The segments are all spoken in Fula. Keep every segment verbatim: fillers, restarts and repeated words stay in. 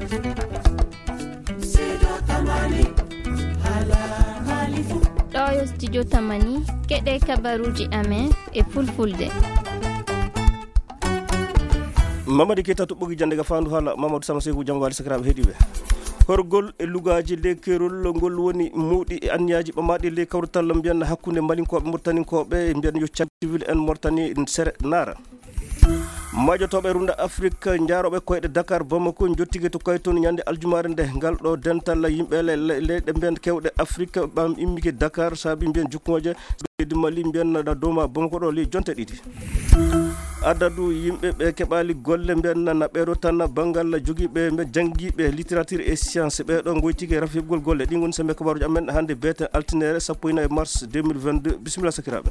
Ɗo yo studio Tamani, keɗe kabaruuji amen e fulfulde. Mamadi Keita to ɓogi jannde ga faandu haala Mamadou Sama Seeku, jam waali sakiraaɓe heɗiiɓe. Horgol e lugaaji ley keerol ngol woni mawɗi e anniyaaji ɓamaaɗi ley kawrital mbiyan hakkunde Malinkooɓe Murtaninkooɓe, mbiyan yo caggal civil en Murtani sere naara. Majotooɓe runda Afrik njaarooɓe koyɗe Dakar Bamako njottike to Kayton ñande aljumaare nde. Ngal ɗo dental yimɓe le-, le-, leyɗe mbiyan kewɗe Afrik ɓam immike Dakar saabi mbiyan jukkooje leydi Mali mbiyan na dow ma Bamako ɗo ley jonte ɗiɗi. Adadu yimɓe ɓe keɓaali golle mbiyan na, na ɓeeɗo tan banngal jogiiɓe mbe janngiiɓe littérature et science ɓeeɗo ngoytike rafibgol golle. Ɗi ngoni sembe kabaruuji amen hannde beeten altine sappo e nayi mars deux mille vingt-deux. Bisimilla sakiraaɓe.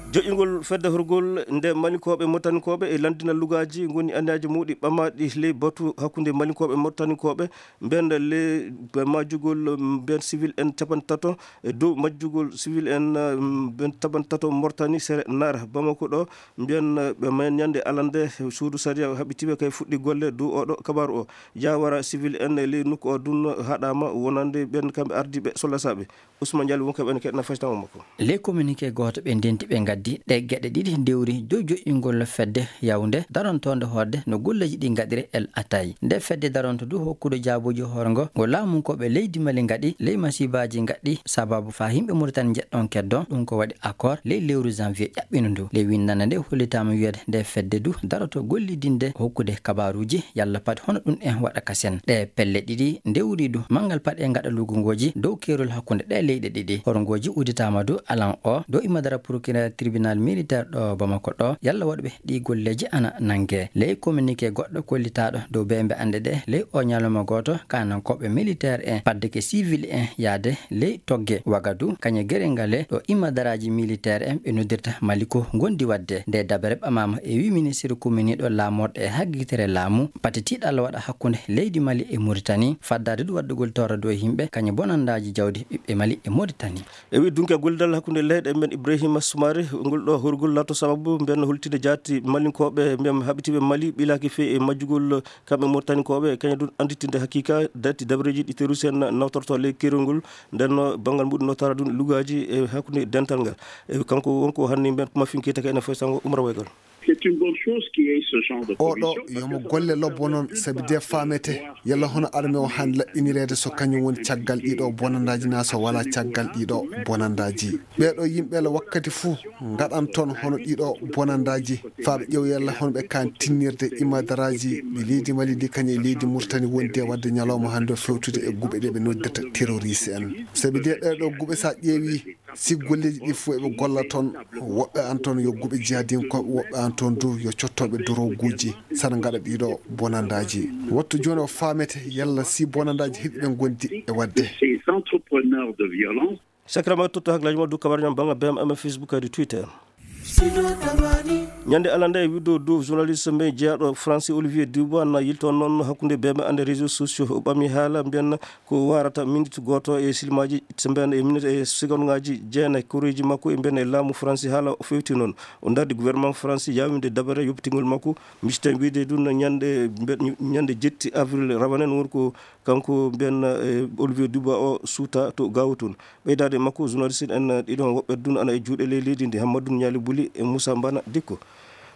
Joƴƴingol fedde horgol nde Malinkooɓe, Murtaninkooɓe e lanndina lugaaji ngoni anniyaaji mawɗi ɓamaaɗi ley batu hakkunde Malinkooɓe, Murtaninkooɓe, mbiyan le majjugol mbiyan civil en capanɗe tato e dow majjugol civil en, um, mbiyan capanɗe tato Murtani sere naara Bamako ɗo, mbiyan, uh, ɓe mayen ñande alande suudu sariya haɓɓitiiɓe kay fuɗɗi golle dow oɗo kabaaru o. Jawara civil en e ley nokku o dun haɗaama wonande ɓen kamɓe ardiiɓe sollasaaɓe. Ousmane Diallo wonko ɓen keɗna faytamo makko. Ley communiqué gooto ɓe ndenti ɓe ngaddi ɗe geɗe ɗiɗi dewri dow joƴƴingol fedde yawnde darontoonde hoorde no golleeji ɗi ngaɗire El Atay. Nde fedde daronto du hokkude jaabuji hoore ngo, ngo laamunkooɓe leydi Mali ngaɗi ley masibaaji ngaɗɗi sababu faa yimɓe Mauritanie njeɗɗon keddon, ɗum ko waɗi accord ley lewru janvier ƴaɓɓindu ndu. Ley winndannde nde hollitaama wiyeede nde fedde du daroto gollidinde hokkude kabaaruuji yalla pat hono ɗum en waɗa kasen. Ɗe pelle ɗiɗi ndewri du manngal paɗe ngaɗa lugungooji dow keerol hakkunde ɗe leyɗe ɗiɗi. Horngooji udditaama du alan o dow imadara procureur tribunal militaire ɗo Bamako ɗo yalla waɗuɓe ɗi golleeji ana nannge. Ley communiqué goɗɗo kollitaaɗo dow beembe annde ɗe ley o ñalawma gooto kaanankooɓe militaire en paddeke civil en yaade ley togge Wagadu, kañe gere ngale ɗo imadaraaji militaire en ɓe noddirta Maliko ngondi waɗde. Nde dabere ɓamaama e wi ministre kuminiiɗo laamorɗe e haggitere laamu, pati tiiɗalla waɗa hakkunde leydi Mali e Mauritanie, faddaade du waɗdugol torra dow yimɓe, kañe bonandaaji jawdi ɓiɓɓe Mali e Mauritanie. E wi dunke gollidal hakkunde leyɗe men Ibrahima Soumaré, ngol ɗo horgol laato sababu mben holtinde jaati Malinkooɓe mben haɓitiiɓe Mali ɓilaaki fey e majjugol kamɓe Mauritaninkooɓe, kañum dun annditinde hakiika dati dabareeji ɗi terroriste en nawtorto ley keerol ngol. Nden no banngal muɗum no tara dun lugaaji e hakkunde dental ngal. E kanko wonko hanni mben ko mafin keyta ka ene foy sango Umar Waygal. C'est une bonne chose qu'il y ait ce genre de oɗo commission, parce yomo que golle lobbo noon, sabi de faamete yalla hono arme o han laɓɓinireede so kañum woni caggal ɗiɗo bonandaaji naa so wala caggal ɗiɗo bonandaaji. Ɓeeɗo yimɓe la wakkati fuu ngaɗan toon hono ɗiɗo bonandaaji, faa ɓe ƴeew yalla hono ɓe kaan tinnirde imadaraaji ɗi leydi Mali ndi kañum e leydi Murtani wondi e waɗde ñalawma hannde o fewtude e guɓe ɗe ɓe noddirta terroriste en. Sabi de ɗee ɗoo guɓe so a ƴeewi, si golleeji ɗi fof eɓe golla toon, woɓɓe an toon yo guɓe jihadinkooɓe, woɓɓe an toon du yo cottooɓe doroguuji, sana ngaɗa ɗiɗo bonandaaji. Wattu jooni o faamete yalla si bonandaaji hiɗi ɓe ngondi e waɗde. Ces entrepreneurs de violence. Sakirama totto haklaaji ma du kabar ñam banga B M M Facebook kadi Twitter. Ñande alande e wiɗo dow journaliste men jeyaɗo Français Olivier Dubois na yilto noon hakkunde B M M ande réseaux sociaux. O ɓami haala mbiyan ko warata minute gooto e silmaji, so mbiyan e minute e seconde ngaji jeenayi koreji makko e mbiyan e laamu Français. Haala o fewti noon. O dardi gouvernement Français yawinde dabare yoppitingol makko. Misten wiide dun ñande, mbe-, ñande jetti avril rawanen won ko kanko mbiyan, eh, Olivier Dubois o suuta to Gao toon. Ɓeydaade makko, journaliste en ɗiɗon woɓɓe dun ana e juuɗe ley leydi ndi, Hammadou Niali Buli e Moussa Mbana Dikko.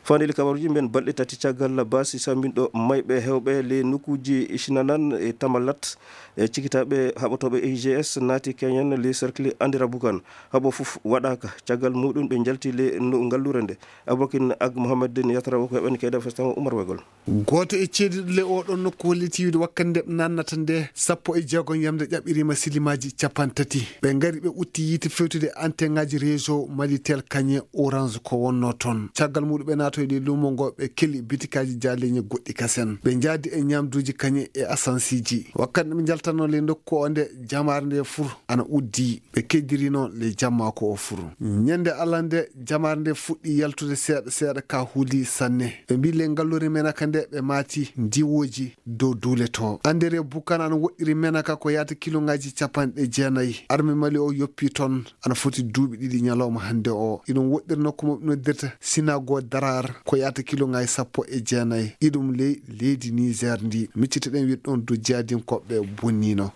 Fandeli kabaruji mbiyan balɗe tati caggal baasi sambinɗo mayɓe hewɓe ley nokkuji Shinanan e Tamalat, e cikitaaɓe haɓotooɓe I G S naati Kenyan ley cercle Andira Bukan. Haɓo fof waɗaaka. Caggal muɗum ɓe njalti ley no ngallure nde. Abokin Ag Mohamed Den Yatra woko heɓani kayda festango Umar Wegol. Gooto e ceediiɗo ley oo ɗoon nokku holliti wiide wakkati nde ɓe naatnata nde, sappo e jeegom yamnde ƴaɓɓiriima silimaaji capanɗe tati. Ɓe ngari, ɓe utti yiite fewtude antenŋaaji réseau Malitel, kañe Orange ko wonnoo toon. Caggal muɗum ɓe naatoyi ley luumo ngo, ɓe keli bitikaaji jaaleeñi goɗɗi kasen. Ɓe njaadi e ñaamduuji kañe e asansiiji. Wakkati nde ɓe njaltatnoo ley nokku o nde, jamaare nde fur ana uddii. Ɓe keddirino ley jammaako o fur. Ñande Allah nde, jamaare nde fuɗɗi yaltude seeɗa seeɗa, ka huuli sanne. Ɓe mbii ley ngallure Menaka nde, ɓe maati ndiwooji dow duule to. Andere Bukan ana woɗɗiri Menaka ko yaata kiloŋaaji capanɗe jeenayi. Arme Mali o yoppi toon, ana foti duuɓi ɗiɗi ñalawma hannde o. Iɗum woɗɗiri nokku mo ɓe noddirta Sinago Dara ko yahata kilo ngaji sappo e jeenayi. Iɗum ley leydi Niger ndi. Miccitoɗen wiide ɗon dow jihadinkooɓe bonniino.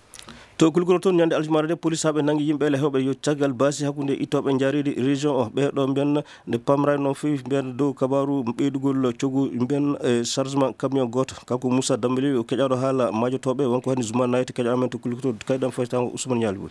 To Kulkuro toon, ñande aljumaare nde, polisaaɓe nangi yimɓe ele heewɓe yo caggal baasi hakkunde ittooɓe njaaredi région o. Ɓee ɗo mbiyen nde pamraani noon feewi mbiyen dow kabaaru ɓeydugol coggu mbiyen e chargement camion gooto. Kanko Moussa Dambélé o keƴaaɗo haala maajotooɓe, wonko hani Zouma Night keƴaaɗo amen to Kulkuro, kayɗam faytaango Ousmane Ñaali Bun.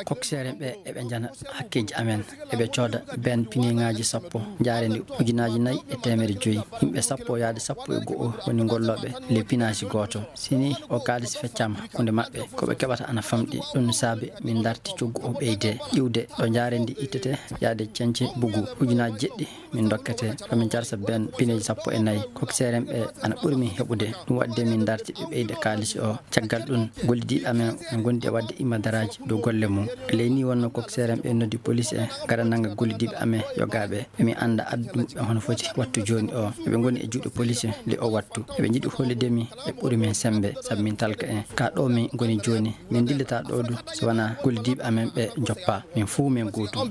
Kokseere ɓe eɓe njana hakkeeji amen, eɓe cooda ben pineŋaaji sappo, njaareendi ujunaaji nayi e teemedde joyi. Yimɓe sappo yaade sappo e go'o woni gollooɓe ley pinaaji gooto. Si ni o kaalis feccaama hakkunde maɓɓe, ko ɓe keɓata ana famɗi. Ɗum saabi min ndarti coggu o ɓeyde iwde ɗo njaareendi ittete yaade ceñce bugu ujunaaji jeɗɗi. Min dokkete ko min carsa ben pineeji sappo e nayi. Kokseere ɓe ana ɓuri min heɓude. Ɗum waɗde min ndarti ɓe ɓeyde kaalis o. Caggal ɗum, gollidiiɓe amen ɓe ngondi e waɗde imadaraaji dow golle mum. Ley ni wonno kokseere ɓe noddi polis en ngara nanga gollidiiɓe amen yogaaɓe. Ɓe min annda addu muɓɓe hono foti wattu jooni o. Eɓe ngoni e juuɗe polis en ley o wattu. Eɓe njiɗi hollitde min ɓe ɓuri min semmbe sabu min talka en. Ka ɗo min ngoni jooni, min ndillata ɗo du so wonaa gollidiiɓe amen ɓe njoppa. Min fuu min gootum.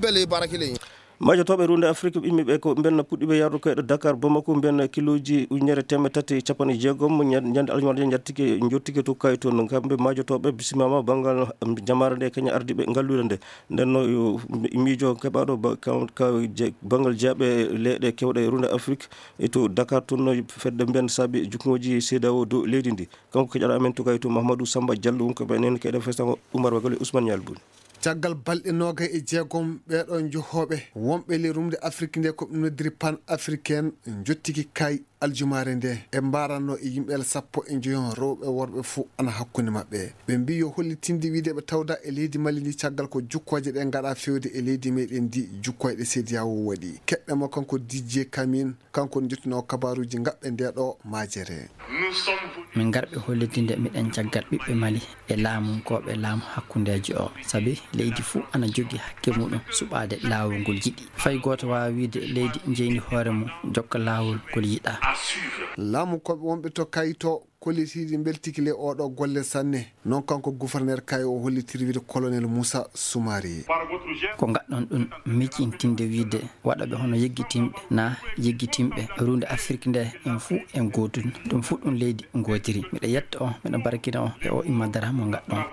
Majotooɓe runde Afrik immiiɓe ko mbenna puɗɗiiɓe yardu koyɗe Dakar Bamako, mbenna kilooji ujunere teemedde tati e capanɗe jeegom, ñan-, ñande aljumaare nde njattike, njottike to Kayto. No kamɓe majotooɓe bisimaama banngal jamaare nde, kañum ardiiɓe ngalluure nde. Nden no yo miijo keɓaaɗo ba-, ka, ka je-, banngal jeyaɓe leyɗe keewɗe e runde Afrik e to Dakar toon no fedde mbenna saabi jukngooji C E D E A O dow leydi ndi. Kanko keƴaaɗo amen to Kayto, Mahamadou Samba Diallo, won ko ɓe nene keɗen festango Oumar Bagol e Ousmane Nial Boun. Caggal balɗe noogay e jeegom, ɓeeɗo njohooɓe wonɓe ley rumde Afrik nde, ko ɓe noddiri pan africain, njottiki kay aljumaare nde. E mbaranno e yimɓe sappo e njoyon, rewɓe worɓe fuu ana hakkunde maɓɓe. Ɓe mbii yo hollitinde wiide ɓe tawda e leydi Mali ndi, caggal ko jukkooje ɗe ngaɗa fewde e leydi meɗen ndi, jukkoyɗe C E D E A O waɗi. Keɗɗe mo kanko D J Kamin, kanko njottinoo kabaaruuji ngaɓɓe nde ɗo majere. Min ngarɓe hollitinde miɗen caggal ɓiɓɓe Mali e laamunkooɓe laamu hakkundeejo o, sabi leydi fuu ana jogii hakke muɗum suɓaade laawol ngol yiɗi. Fay gooto waawaa wiide leydi njeyni hoore mum jokka laawol ngol yiɗaa. Laamunkooɓe wonɓe to Kayto kollitiiɗi mbeltiki le oɗo golle sanne. Noon kanko gouverneur Kayto o hollitiri wiide colonel Moussa Soumaré. Ko ngaɗɗon ɗum miccintinde wiide waɗaɓe hono yeggitinɓe naa yeggitinɓe runde Afrik nde en fuu en gootun. Ɗum fuu ɗum leydi ngootiri. Miɗo yetta on, miɗo barkina on e o imma dara mo ngaɗɗon.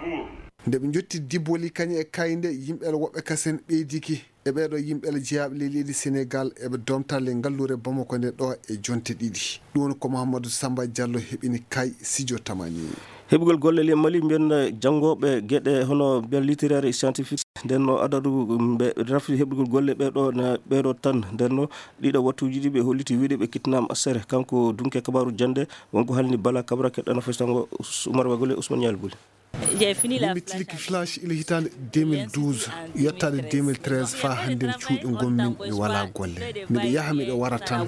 Nde ɓe njotti Diboli kañum e Kayde, yimɓe woɓɓe kasen ɓeydiki. E ɓeeɗo yimɓe jeyaaɓe ley leydi Senegal, eɓe domta ley ngalluure Bamako nde ɗo e jonte ɗiɗi. Ɗum woni ko Mahamadou Samba Diallo heɓini kay Sidio Tamani. Heɓugol golle ley Mali, mbiyen, eh, janngooɓe geɗe hono mbiyen littéraire et scientifique. Nden no adadu ɓe rafi heɓugol golle ɓeeɗo na ɓeeɗo tan. Nden no ɗiɗo wattuuji ɗi ɓe holliti wiide ɓe kittinaama asere. Kanko dunke kabaaru jannde, wonko halni Bala Kabra keɗɗano festango Oumar Bagol e Ousmane Nial Bouli. Min mi tilki flash ila hitaande deux mille douze, yottaade deux mille treize, faa hannden cuuɗi ngonmin mi walaa golle. Miɗo yaha, miɗo wara tan.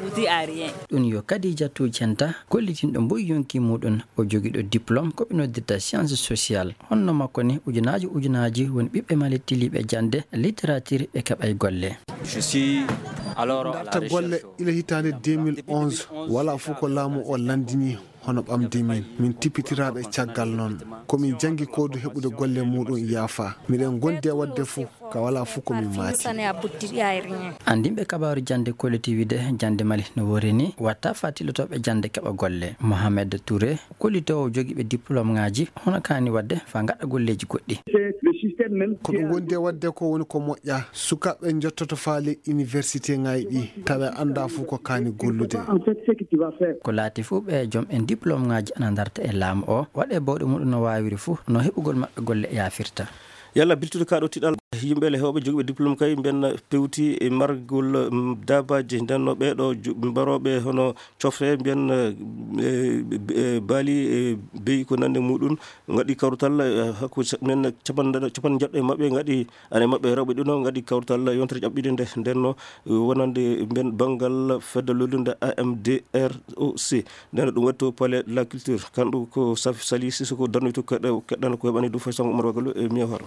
Ɗum yo Khadijatu Centa, gollitinɗo mboy yonki muɗum, o jogiiɗo diplôme ko ɓe noddirta science sociale. Honno makko ni, ujunaaji ujunaaji woni ɓiɓɓe Mali tiliiɓe jannde littérature ɓe keɓay golle. Ndarta golle ila hitaande deux mille onze, walaa fof ko laamu o lanndini. Hono ɓamde min, min tippitiraaɓe caggal noon. Ko min janngi ko du heɓude golle muɗum yaafa. Miɗen ngondi e waɗde fof, ka walaa fof ko min maati. Anndinɓe kabaaru jannde kolliti wiide jannde Mali no woori ni, watta faa tilotooɓe jannde keɓa golle. Mohamed Touré, kollitoowo jogiiɓe diplôme ŋaaji, hono kaani waɗde faa ngaɗa golleeji goɗɗi. Ko ɓe ngondi e waɗde ko woni ko moƴƴa. Sukaaɓe njottoto faa ley université ŋaaji ɗi, tawa annda fof ko kaani gollude. Ko laati fof ɓe joom en diplôme ŋaaji ana ndarta e laamu o, waɗe bawɗe muɗum no waawiri fof, no heɓugol maɓɓe golle yaafirta. Yalla biltude kaaɗo tiɗal yimɓe le heewɓe jogiiɓe diplôme kay mbiyen pewti e margol, mm, daabaaji. Nden no ɓeeɗo ju-, mbarooɓe hono cofre mbiyen, eh, eh, baali, eh, beyi ko nande muɗum, ngaɗi kawrutal, eh, hakku sa-, men capanɗe, capanɗe njeɗɗo e maɓɓe ngaɗi Ane maɓɓe rewɓe ɗino ngaɗi kawtal yontere ƴaɓɓiɗe nde, nden no wonande ben banngal fedde lollunde A M D R O C. Nden no ɗum waɗi to Palais de la Culture. Kanɗum ko Saf-, Sali Sissoko darnoyto keɗɗa-, keɗɗano ko heɓani ɗum fay Sango Umar Wagalo e Miya Horo.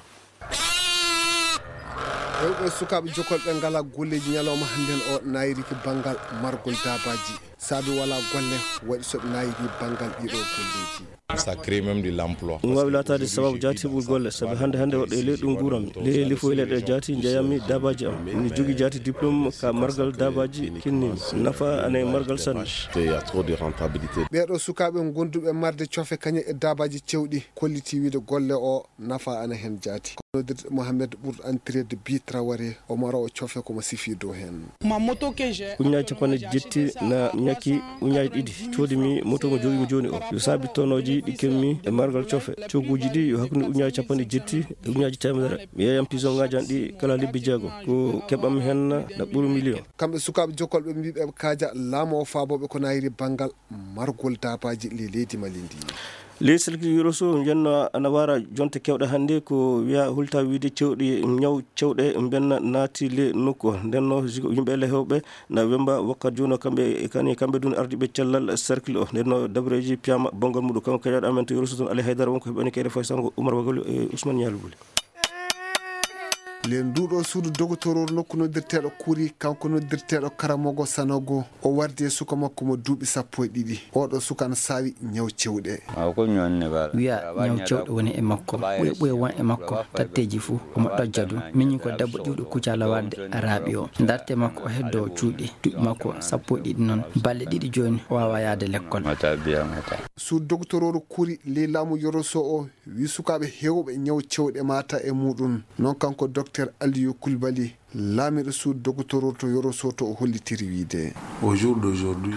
Rewɓe e sukaaɓe jokolɓe ngala golleeji ñalawma hannden o nayriki banngal margol daabaaji. Saabi walaa golle waɗi so ɓe naayiri banngal ɗiɗo golleeji. Ça crée même de l'emploi. Ɗum waawi laataade sababu jaati heɓugol golle, sabi hannde hannde woɗɗo e ley ɗum nguuranmi. Ley lifo e leyɗe jaati njeyanmi daabaaji am. Mi jogii jaati diplôme ka margal daabaaji kinnimi. Nafa ana e margal sanne. Il y a trop de rentabilité. Ɓeeɗo sukaaɓe gonduɓe marde cofe kañe e daabaaji cewɗi kolliti wiide golle o nafa ana heen jaati. Ko noddirde Mohamed Ɓurɗo Antireede Bi Traoré, o maro o cofe ko mo sifii dow heen. Uññaaji capanɗe jetti na ñakki uññaaji ɗiɗi. Coodi mi moto mo jogii mi jooni o. Yo saabi tonooji ɗi kemmi e margal cofe. Cogguuji ɗi yo hakkunde uññaaji capanɗe jetti e uññaaji teemedere. Mi yeeyam pisoŋaaji an ɗi kala lebbi jeego. Ko keɓam heen na ɓuri miliyoŋ. Kamɓe sukaaɓe jokkolɓe mbiɓe kaaja laamu o faabooɓe ko naayiri banngal margol daabaaji le leydi Mali ndi. Ley salkil Yoroso njenno ana wara jonte kewɗe hannde ko wiya hulta wiide cewɗe ñaw cewɗe mbenna naati le nokku o. Ndenno yimɓe le hewɓe na wemba wakkat jooni o kamɓe e kani kamɓe dun ardiɓe cellal salkil o. Ndenno dabreji piyama bongal muɗum kanko kajaɗo amen to Yoroso toon Ali Haydara wonko heɓani kayre fay sango Umar Wagol e Ousmane Ñalbuli. Len nduɗo suudu dogotororu nokku noddirteɗo Kuri, kanko noddirteɗo Karamogo Sanogo, o wardi e suka makko mo duuɓi sappo e ɗiɗi. Oɗo suka na saawi ñaw cewɗe. Wiya ñaw cewɗe woni e makko, ɓuye ɓuye won e makko tatteji fuu omo ɗojja ɗum. Miñi ko debbo ƴiwɗo kucala warde raaɓi o. Darte makko o heddo cuuɗi, duuɓi makko sappo e ɗiɗi noon. Balɗe ɗiɗi jooni o wawa yaade lekkol. Suudu dogotororu Kuri ley laamu Yoroso o wi sukaaɓe heewɓe ñaw cewɗe mata e muɗum. Noon kanko Docteur Aliyu Kulbali, laamiɗo suudu dogotororu to Yoroso to o hollitiri wiide.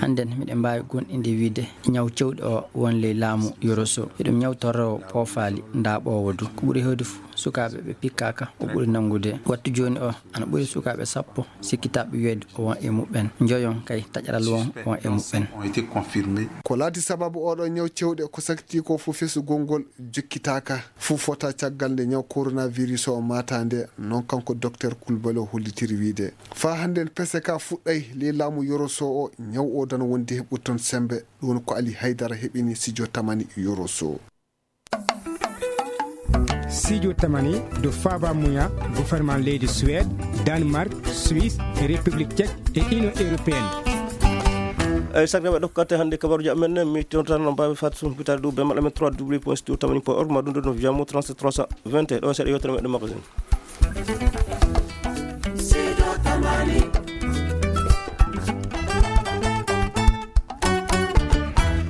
Hannden miɗen mbaawi goonɗinde wiide ñaw cewɗe o won ley laamu Yoroso. Eɗum ñaw torroowo poofaali ndaaɓoowo du. Ko ɓuri heewde fof sukaaɓe ɓe pikkaaka o ɓuri nanngude. Wattu jooni o ana ɓuri sukaaɓe sappo sikkitaaɓe wiyeede o won e muɓɓen. Njoyon kay taƴaral won won e muɓɓen. Ko laati sababu oɗo ñaw cewɗe ko sakti ko fof fesugol ngol jokkitaaka. Fof fota caggal nde ñaw coronavirus o maata nde, noon kanko Docteur Kulbali o hollitiri wiide. Faa hannden pese ka fuɗɗay ley laamu Yoroso o, ñaw o dana wondi heɓɓude toon semmbe. Ɗum woni ko Ali Haydara heɓini Sijo Tamani Yoroso. Sijo Tamani do Faba Muya, gouvernement leydi Suède, Danemark, Suisse, République Tchèque et Union Européenne. Eyi sakiraaɓe ɗo ko katte hannde kabaruji amen mi tontano mbaawi fat sumpitaade ɗum be maɗa men trois w point studio tamani point org ma ɗum ɗo no wiyamo trente trois cent vingt et un ɗo seeɗa yewtere meɗen magasin.